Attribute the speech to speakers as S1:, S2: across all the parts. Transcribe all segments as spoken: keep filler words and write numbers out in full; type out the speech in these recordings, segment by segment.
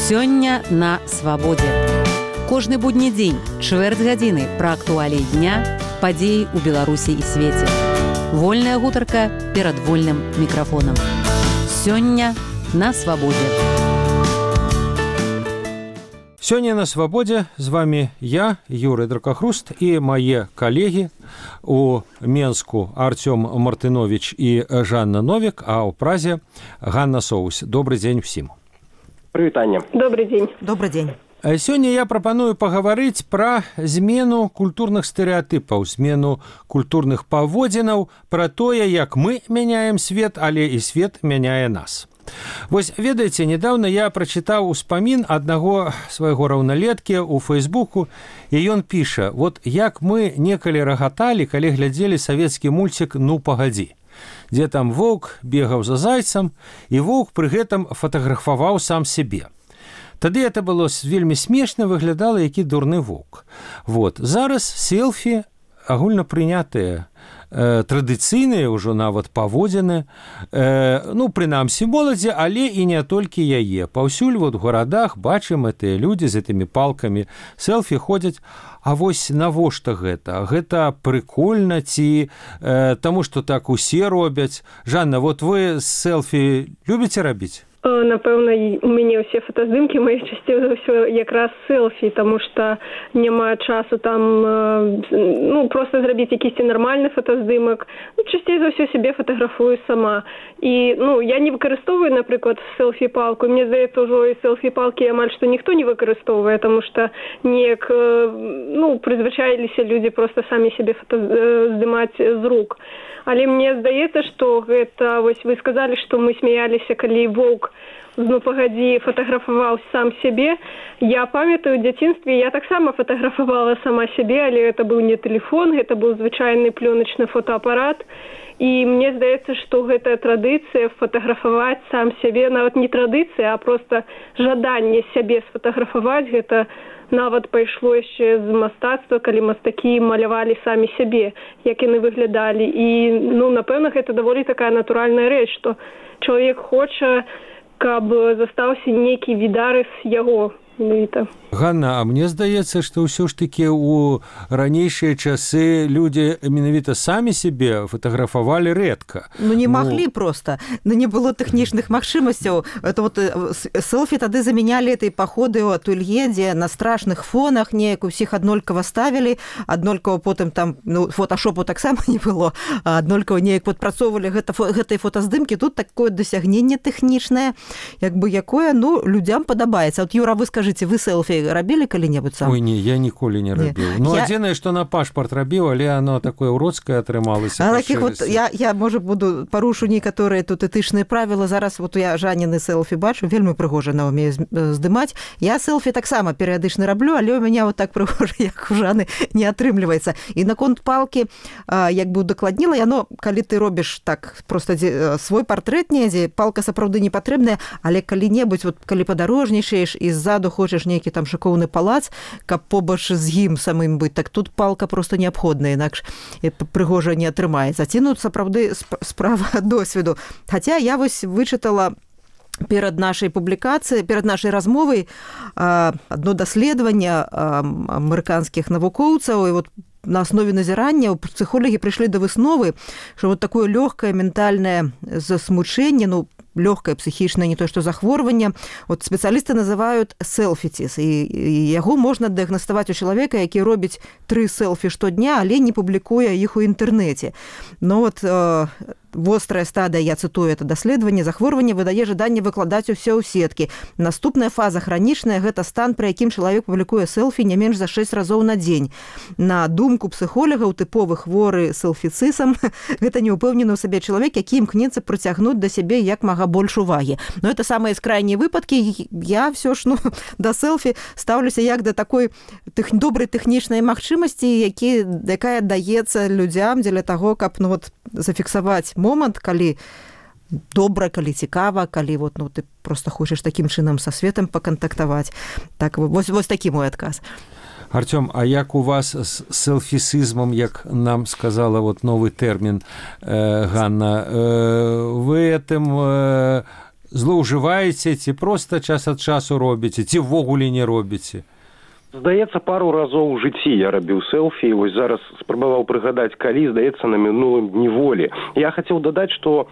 S1: Сёння на свабодзе. Кожны будні дзень, чвэрць гадзіны пра актуаліі дня, падзеі ў Беларусі і свеце. Вольная гутарка перад вольным мікрафонам. Сёння на свабодзе.
S2: Сёння на свабодзе з вами я, Юрый Дракахруст, і мае калегі у Менску Артём Мартынович і Жанна Новік, а ў Празе Ганна Соус. Добрый дзень всім.
S3: Прывітанне.
S4: Добрый дзень.
S1: Добрый дзень.
S2: Сёння я прапаную пагаварыць пра змену культурных стэрэатыпаў, змену культурных паводзінаў, пра тое, як мы мяняем свет, але і свет мяняе нас. Вось, ведаеце, недавно я прачытаў успамін аднаго свайго раўналеткі ў Фейсбуку, і ён піша: вот як мы некалі рагаталі, калі глядзелі савецкі мульцік «Ну, пагадзі», дзе там воўк бегаў за зайцам, і воўк пры гэтым фатаграфаваў сам сябе. Тады это было вельмі смешна, выглядала, які дурны воўк. Вот. Зараз селфі агульна прынятыя, э, традыцыйныя ўжо нават паводзіны, э, ну, прынамсі моладзі, але і не толькі яе. Паўсюль вот, у гарадах бачым гэтыя людзі з гэтымі палкамі, селфі ходзяць. А вось навошта гэта? Гэта прыкольна ці э, таму, што так усе робяць? Жанна, вот вы селфі любіце рабіць?
S4: Напэўна, у мяне ўсе фотаздымкі мае часцей за ўсё якраз селфі, таму што няма часу там, ну, проста зрабіць якісьці нармальны фотаздымак. Ну, часцей за ўсё сябе фатаграфую сама. І, ну, я не выкарыстоўваю, напрыклад, селфі-палку. Мне здаецца, ўжо і селфі-палкі амаль што ніхто не выкарыстоўвае, таму што неяк, ну, прызвычаіліся людзі проста самі сябе фотаздымаць з рук. Але мне здаецца, што гэта, вось вы сказалі, што мы смяяліся, калі воўк «Ну, пагадзі» фатаграфаваў сам сябе. Я памятаю, у дзяцінстве я таксама фатаграфавала сама сябе, але гэта быў не тэлефон, гэта быў звычайны плёначны фотоапарат. І мне здаецца, што гэтая традыцыя фатаграфаваць сам сябе, нават не традыцыя, а проста жаданне сябе сфатаграфаваць, гэта нават пайшло яшчэ з мастацтва, калі мастакі малявалі самі сябе, як яны выглядалі. І, ну, напэўна, гэта даволі такая натуральная рэч, што чалавек хоча, каб застаўся нейкі відарыс яго.
S2: Ганна, а мне здаецца, што ўсё ж такі ў ранейшыя часы людзі менавіта самі сябе фатаграфавалі рэдка.
S5: Ну, не ну... маглі проста. Ну, не было тэхнічных магчымасцяў. Это вот селфі тады замянялі этой паходы ў атэлье, дзе на страшных фонах неяк усіх аднолькава ставілі, аднолькава потым там, ну, фоташопу таксама не было, а аднолькава неяк падпрацоўвалі гэта, гэтай фотаздымкі. Тут такое дасягненне тэхнічнае, як бы якое, ну, людзям падабаецца. От, Юра, вы скажыце, вы селфі рабілі калі-небудзь сам?
S2: Ой, не, я ніколі не рабіў. Ну, я... адзінае, што на пашпарт рабіў, але оно такое ўроцкае атрымалася.
S5: А такіх вот, я, я, можа, буду парушу некаторыя тут этычныя правілы. Зараз вот я Жанніны селфі бачу, вельмі прыгожа на ўмее здымаць. Я селфі таксама перыядычна раблю, але ў мяне вот так прыгожа, як у Жанны, не атрымліваецца. І наконт палкі, як бы удакладніла, яно, калі ты робіш так, проста свой партрэт недзе, палка сапраўды не патрэбная, але калі-небудзь, вот, калі падарожнічаеш і ззаду хочаш нейкі там шыкоўны палац, каб побач з ім самым быць, так тут палка проста неабходная, інакш прыгожа не атрымаецца. Ці, ну, сапраўды справа досведу. Хаця я вось вычытала перад нашай публікацыяй, перад нашай размовай адно даследаванне амерыканскіх навукоўцаў, і вот на аснове назірання псіхолагі прыйшлі да высновы, што вот такое лёгкае ментальнае засмучэнне, ну, лёгкае псіхічнае, не то што захворванне, вот спецыялісты называюць селфіціс, і, і яго можна дыагнаставаць у чалавека, які робіць тры селфі штодня, але не публікуе іх у інтэрнэце. Ну вот э, вострая стадыя, я цытую это даследаванне, захворванне выдае жаданне выкладаць усё ў сеткі. Наступная фаза хранічная, гэта стан, пры якім чалавек публікуе селфі не менш за шэсць разоў на дзень. На думку псіхолагаў, тыповы хворы селфіцысам, гэта неўпэўнены ў сабе чалавек, які імкнецца прыцягнуць да сябе як мага больш увагі. Но это самыя крайнія выпадкі. Я все ж, ну, да селфі ставлюся як да такой тех... добрай тэхнічнай магчымасці, які, якая даецца людзям дзеля таго, каб, ну, вот, зафіксаваць момант, калі добра, калі цікава, калі вот, ну, ты просто хочаш такім чынам са светам пакантактаваць. Так, вось, вось такі мой адказ.
S2: Артём, а як у вас з селфісізмом, як нам сказала вот новый тэрмін э, Ганна, э, вы этим э, злоўжываеце, ці проста час ад часу робіце, ці ўвогуле не робіце?
S3: Здаецца, пару разоў у жыцці я рабіў селфі, вось зараз спрабаваў прыгадаць, калі, здаецца, на мінулым дні волі. Я хацеў дадаць, што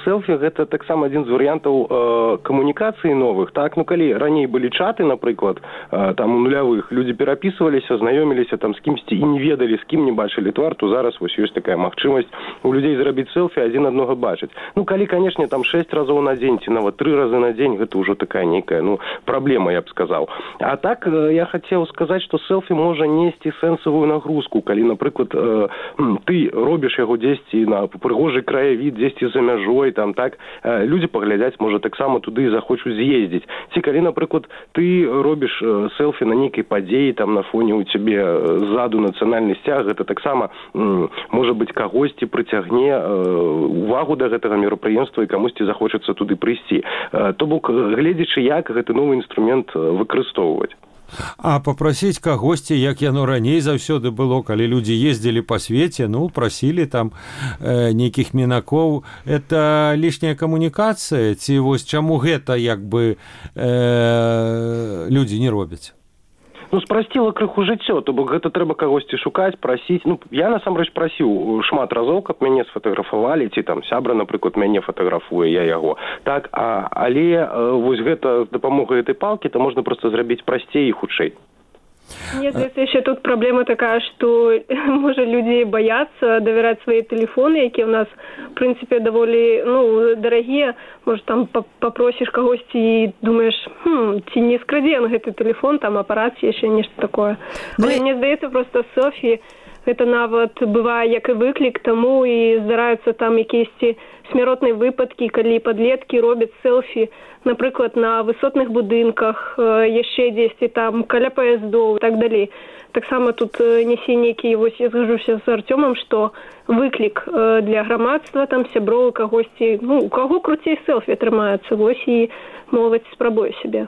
S3: селфі гэта таксама адзін з варыянтаў э, камунікацыі новых, так? Ну, калі раней былі чаты, напрыклад, э, там у нулявых, людзі перапісваліся, знаёміліся там з кімсьці і не ведалі, з кім не бачылі твар, то зараз вось ёсць такая магчымасць у людзей зрабіць селфі, адзін аднога бачыць. Ну, калі, канешне, там шэсць разоў на дзень, ці нават тры разы на дзень, гэта ўжо такая нейкая, ну, праблема, я б сказаў. А так, э, я хацеў сказаць, што селфі можа несці сэнсавую нагрузку, калі, напрыклад, э, ты робіш яго дзесьці на прыгожы краявід, дзесьці за мяжой, там, так, э, людзі паглядзяць, можа, таксама туды захочуць з'ездзіць. Ці калі, напрыклад, ты робіш э, селфі на нейкай падзеі, там, на фоне у цябе ззаду нацыянальны сцяг, гэта таксама, м, можа быць, кагосьці прыцягне э, увагу да гэтага мерапрыемства і камусьці захочацца туды прыйсці. Э, то бок, гледзячы, як гэты новы інструмент выкарыстоўваць.
S2: А папрасіць кагосьці, як яно раней заўсёды было, калі людзі ездзілі па свеце, ну, прасілі там э, нейкіх мінакоў, это лішняя камунікацыя, ці вось чаму гэта, як бы, э, людзі не робяць?
S3: Ну, спрасціла крыху жыццё, то бок гэта трэба кагосьці шукаць, прасіць. Ну, я, насамрэч, прасіў шмат разоў, каб мяне сфатаграфавалі, ці там сябра, напрыклад, мяне фатаграфуе, я яго. Так, а, але э, вось гэта з дапамогай гэтай палкі, то можна проста зрабіць прасцей і хутчэй.
S4: Мне здаецца, яшчэ тут праблема такая, што, можа, людзі баяцца давяраць свае тэлефоны, якія ў нас, в прынцыпе, даволі, ну, дарагія. Можа, там папросіш кагосьці і думаеш, хм, ці не скрадзе ён гэты тэлефон, там апарат, ці яшчэ нешта такое. Ну, але мне здаецца, проста селфі, гэта нават бывае як і выклік таму, і здараюцца там якіясьці смяротныя выпадкі, калі падлеткі робяць селфі, напрыклад, на высотных будынках, яшчэ дзесьці там каля паяздоў і так далей. Таксама тут нясе нейкі, вось я згажуся з Артёмам, што выклік для грамадства, там сяброў, кагосьці, ну, у каго круцей селфі атрымаецца, вось і моладзь спрабуе сябе.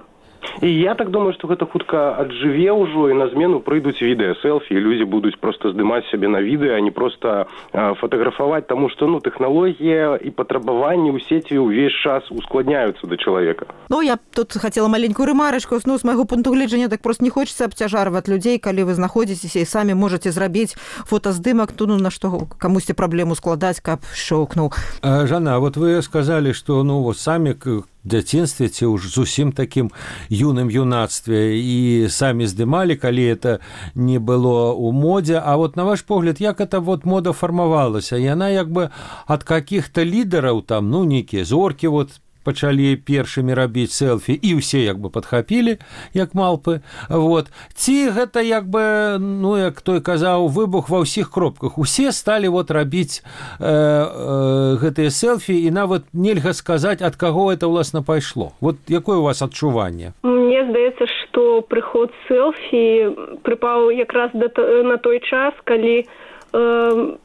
S3: І я так думаю, што гэта хутка аджыве ўжо, і на змену прыйдуць відэа-селфі, і людзі будуць проста здымаць сябе на відэа, а не проста а, фатаграфаваць, таму што, ну, тэхналогія і патрабаванні ў сеці ўвесь час ускладняюцца да чалавека.
S5: Ну, я тут хацела маленькую рэмарачку, ну, з майго пункту гледжання, так проста не хочацца абцяжарваць людзей, калі вы знаходзіцеся і самі можаце зрабіць фотаздымак, то, ну, на што камусьці праблему складаць, каб шоўкнуў.
S2: Жанна, а вот вы сказалі, што, ну, вот самі дзяцінстве ці ўж зусім такім юным юнацтве і самі здымалі, калі это не было ў модзе. А вот на ваш погляд, як эта вот мода фармавалася? Яна як бы ад какіх-то лідараў там, ну, нейкія зоркі вот пачалі першымі рабіць селфі, і ўсе як бы падхапілі, як малпы. Вот. Ці гэта як бы, ну, як той казаў, выбух ва ўсіх кропках. Усе сталі вот рабіць э, э, гэтыя селфі, і нават нельга сказаць, ад каго это, ўласна, пайшло. Вот якое у вас адчуванне?
S4: Мне здаецца, што прыход селфі прыпаў якраз на той час, калі э,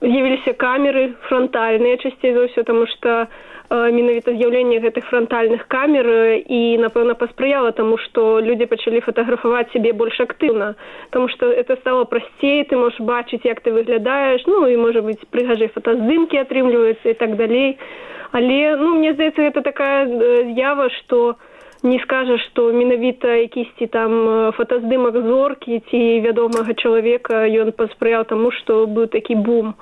S4: з'явіліся камеры франтальныя часцей за ўсё, таму што менавіта з'яўленне гэтых франтальных камер і, напэўна, паспрыяла таму, што людзі пачалі фатаграфаваць сябе больш актыўна, таму што это стало прасцей, ты можаш бачыць, як ты выглядаеш, ну, і, можа быць, прыгажэй фотаздымкі атрымліваюцца і так далей. Але, ну, мне здаецца, гэта такая з'ява, што не скажаш, што менавіта якісьці там фотаздымак зоркі ці вядомага чалавека, ён паспрыяў таму, што быў такі бум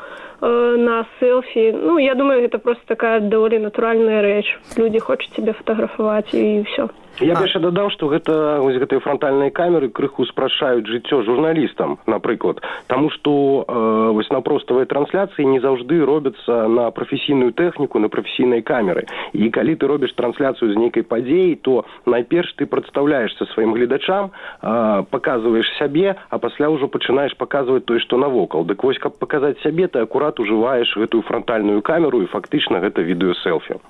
S4: на селфі. Ну, я думаю, гэта просто такая даволі натуральная рэч. Людзі хочуць сябе фатаграфаваць і ўсё.
S3: Я б яшчэ дадаў, што гэта, вось гэтыя франтальныя камеры крыху спрашчаюць жыццё журналістам, напрыклад. Таму што э, вось на проставай трансляцыі не заўжды робяцца на прафесійную тэхніку, на прафесійнай камеры. І калі ты робіш трансляцыю з нейкай падзеі, то найперш ты прадстаўляешся сваім гледачам, э, паказваеш сябе, а пасля ўжо пачынаеш паказваць тое, што навокал. Дык вось, каб паказаць сябе, ты акурат ужываеш гэтую франтальную камеру, і фактычна гэта відэа-селфі.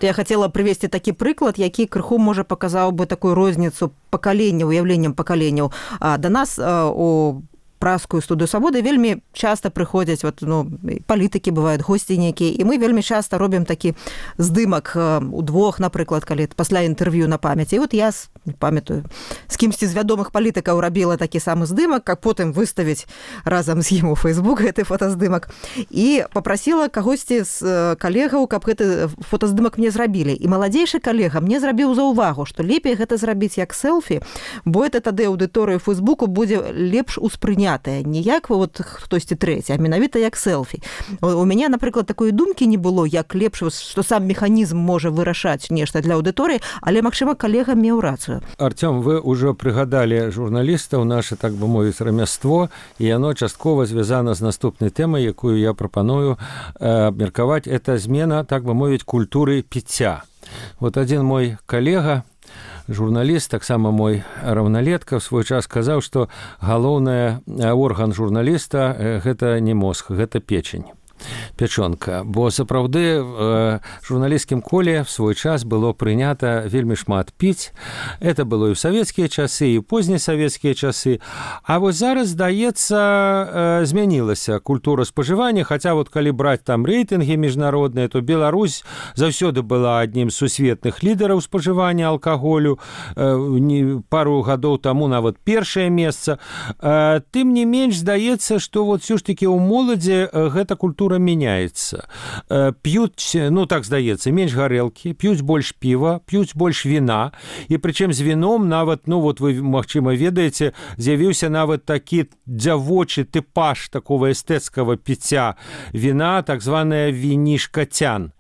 S5: Я хацела прывесці такі прыклад, які крыху можа паказаў бы такую розніцу пакалення, уяўленнем пакаленняў. Да нас у празскую студыю свабоды, вельмі часта прыходзяць вот, ну, палітыкі бываюць, госці нейкія, і мы вельмі часта робім такі здымак удвох, напрыклад, калі пасля інтэрв'ю на памяць. І вот я не памятаю, з кімсьці з вядомых палітыкаў рабіла такі самы здымак, каб потым выставіць разам з ім у Facebook гэты фотаздымак. І папрасіла кагосьці з калегаў, каб гэты фотаздымак мне зрабілі. І маладзейшы калега мне зрабіў заўвагу, што лепей гэта зрабіць як селфі, бо это тады аўдыторыя Фейсбуку будзе лепш успрынятая, не як вот хтосьці трэці, а менавіта як селфі. У мяне, напрыклад, такой думкі не было, як лепш, што сам механізм можа вырашаць нешта для аўдыторыі, але, магчыма, калега меў рацыю.
S2: Артём, вы ўжо прыгадалі журналістаў, наша, так бы мовіць, рамяство, і яно часткова звязана з наступнай тэмай, якую я прапаную абмеркаваць. Это змена, так бы мовіць, культуры піцця. Вот адзін мой калега, журналіст, таксама мой раўналетка, в свой час сказаў, што галоўны орган журналіста – гэта не мозг, гэта печень. Пячонка, бо сапраўды в журналісцкім коле в свой час было прынята вельмі шмат піць. Это было і ў савецкія часы, і ў позне-савецкія часы. А вось зараз, здаецца, змянілася культура спажывання, хаця вот калі браць там рэйтынгі міжнародныя, то Беларусь заўсёды была аднім з сусветных лідараў спажывання алкаголю, пару гадоў таму нават першае месца. Тым не менш, здаецца, што вот все ж таки ў моладзі гэта культура меняется. П'юць, ну так здаецца, менш гарэлкі, п'юць больш піва, п'юць больш віна, і прычым з віном нават, ну вот вы, магчыма, ведаеце, з'явіўся нават такі дзявочы тыпаж такого эстэцкага піцця віна, так званая вінішка-цян.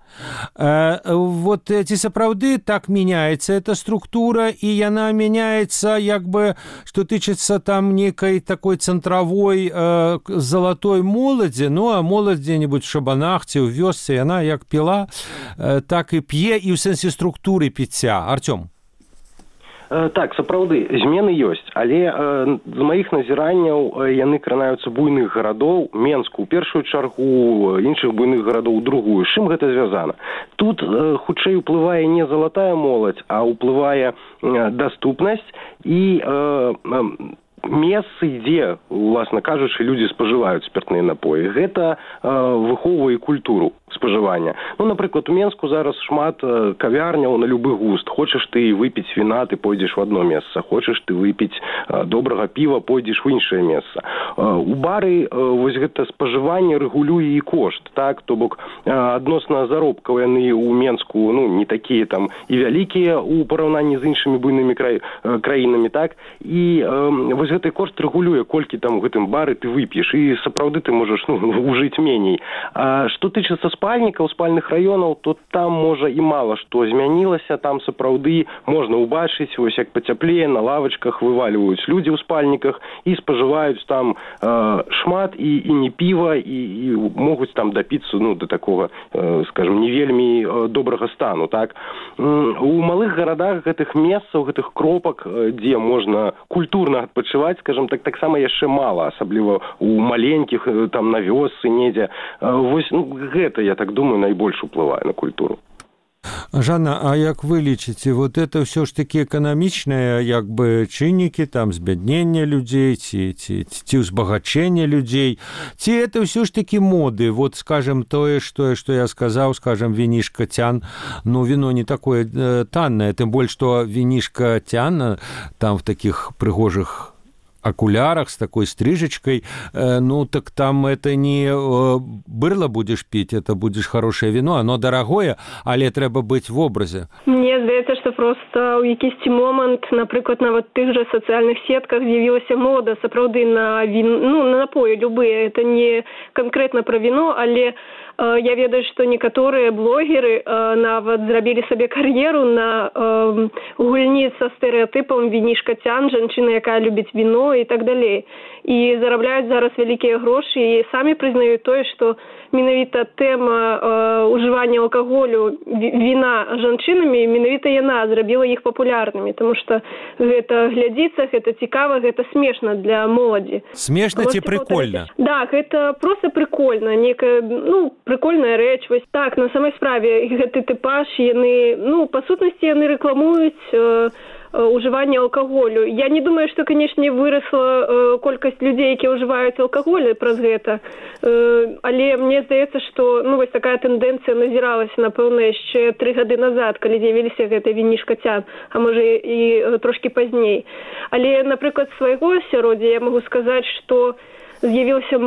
S2: Вот ці сапраўды так меняется эта структура, і яна меняется, як бы, што тычыцца там некай такой цэнтравой э, залатой моладзі, ну а моладзь дзе-небудзь в шабанах ці ў вёсцы, яна як піла, э, так і п'е, і ў сэнсе структуры піцця. Артём.
S3: Так, сапраўды, змены ёсць, але э, з маіх назіранняў э, яны кранаюцца буйных гарадоў, Менску ў першую чаргу, іншых буйных гарадоў у другую. З чым гэта звязана? Тут э, хутчэй уплывае не залатая моладзь, а ўплывае э, даступнасць і э, э, месцы, дзе, уласна кажучы, людзі спажываюць спіртныя напоі. Гэта э, выхоўвае культуру спажывання. Ну, напрыклад, у Менску зараз шмат э, кавярняў на любы густ. Хочаш ты выпіць віна, ты пойдзеш в одно месца. Хочаш ты выпіць э, добрага піва, пойдзеш в іншае месца. Э, у бары э, вось гэта спажыванне рэгулюе і кошт, так? То бок э, адносна заробкаў яны ў Менску, ну, не такія там і вялікія у параўнанні з іншымі буйнымі край, э, краінамі, так? І э, вось гэты кошт рэгулюе, колькі там у гэтым бары ты вып'еш, і сапраўды ты можаш, ну, ужыць меней. А што тычыцца спальнікаў, спальных раёнаў, то там, можа, і мала што змянілася, там сапраўды можна ўбачыць, вось як пацяплее, на лавачках вываліваюць людзі ў спальніках і спажываюць там э, шмат і, і не піва, і, і могуць там дапіцца, ну, да такога, э, скажем, не вельмі э, добрага стану, так? У малых гарадах гэтых месцаў, гэтых кропак, э, дзе можна культурна адпачываць, скажем так, таксама яшчэ мала, асабліва у маленькіх, там на вёсцы недзе. Вось, ну, гэта, я так думаю, найбольш уплывае на культуру.
S2: Жанна, а як вы лічыце, вот это ўсё ж такі эканамічныя, як бы, чыннікі, там, збяднення людзей, ці, ці, ці ўзбагачэння людзей, ці это ўсё ж такі моды, вот, скажем, тое, што, што я сказаў, скажем, вінішка-цян, ну, віно не такое э, таннае, тым больш, што вінішка-цян, там, в такіх прыгожых окулярах с такой стрижечкой, э, ну так там это не э, бырло будешь пить, это будешь хорошее вино, оно дорогое, але трэба быць в образе.
S4: Мне здаецца, што проста ў якісьці момант, напрыклад, нават тых жа сацыяльных сетках з'явілася мода сапраўды на він, ну, на напоі любыя. Это не канкрэтна пра віно, але я ведаю, што некаторыя блогеры нават зрабілі сабе кар'еру на гульні са стэрэатыпам вінішка-цян, жанчына, якая любіць віно і так далей. І зарабляюць зараз вялікія грошы і самі прызнаюць тое, што менавіта тэма ўжывання алкаголю, віна жанчынамі, менавіта яна зрабіла іх папулярнымі, таму што гэта глядзіцца, гэта цікава, гэта смешна для моладзі.
S2: Смешна ці прикольна?
S4: Да, гэта проста прикольна, некая, ну, прикольная рэч. Вось так, на самай справе, гэты тыпаж, яны, ну, па сутнасці яны рэкламуюць э, ўжывання алкаголю. Я не думаю, што, канешне, вырасла колькасць людзей, якія ўжываюць алкаголь праз гэта. Але мне здаецца, што ну, вось такая тэндэнцыя назіралася, напэўна, яшчэ тры гады назад, калі з'явіліся гэтыя вінішкацян, а можа і трошкі пазней. Але, напрыклад, свайго асяроддзя я магу сказаць, што з'явіўся